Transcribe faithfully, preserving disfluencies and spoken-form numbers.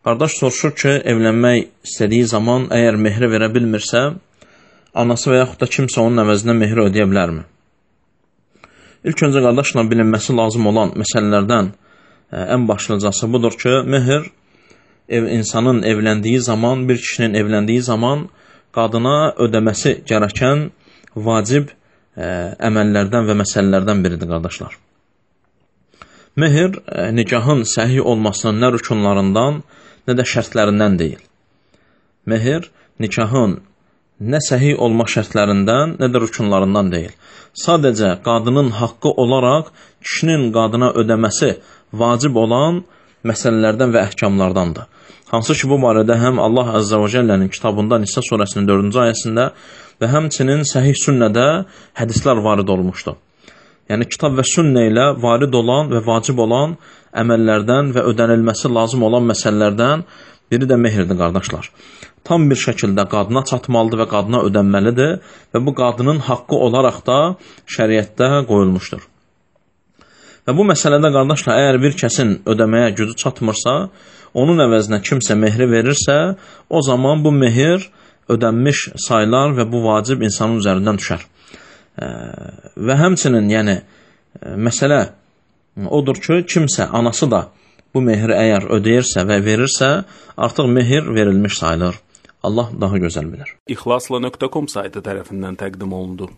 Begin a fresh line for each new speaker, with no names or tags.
Qardaş soruşur ki, evlənmək istədiyi zaman əgər mehri verə bilmirsə, anası və yaxud da kimsə onun əvəzinə mehri ödeyə bilərmi? İlk öncə qardaşla bilinməsi lazım olan məsələlərdən ən başlıcası budur ki, mehr ev, insanın evləndiyi zaman, bir kişinin evləndiyi zaman qadına ödəməsi gərəkən vacib ə, əməllərdən və məsələlərdən biridir, qardaşlar. Mehr ə, nikahın səhih olmasının nə rükunlarından, nə də şərtlərindən deyil. Mehr nikahın nə səhih olma şərtlərindən, nə də rükunlarından deyil. Sadəcə qadının haqqı olaraq kişinin qadına ödəməsi vacib olan məsələlərdən və əhkamlardandır. Hansı ki, bu barədə həm Allah Əzzə və Cəllənin kitabında Nisa surəsinin dördüncü ayəsində və həmçinin səhih sünnədə hədislər varid olmuşdur. Yəni, kitab və sünnə ilə varid olan və vacib olan əməllərdən və ödənilməsi lazım olan məsələlərdən biri də mehirdir, qardaşlar. Tam bir şəkildə qadına çatmalıdır və qadına ödənməlidir və bu qadının haqqı olaraq da şəriətdə qoyulmuşdur. Və bu məsələdə, qardaşlar, əgər bir kəsin ödəməyə gücü çatmırsa, onun əvəzinə kimsə mehri verirsə, o zaman bu mehir ödənmiş sayılar və bu vacib insanın üzərindən düşər. Və həmçinin, yəni, məsələ odur ki, kimsə, anası da bu mehri əgər ödəyirsə və verirsə, artıq mehir verilmiş sayılır. Allah daha gözəl bilir.
İxlasla nöqtə com saytı tərəfindən təqdim olundu.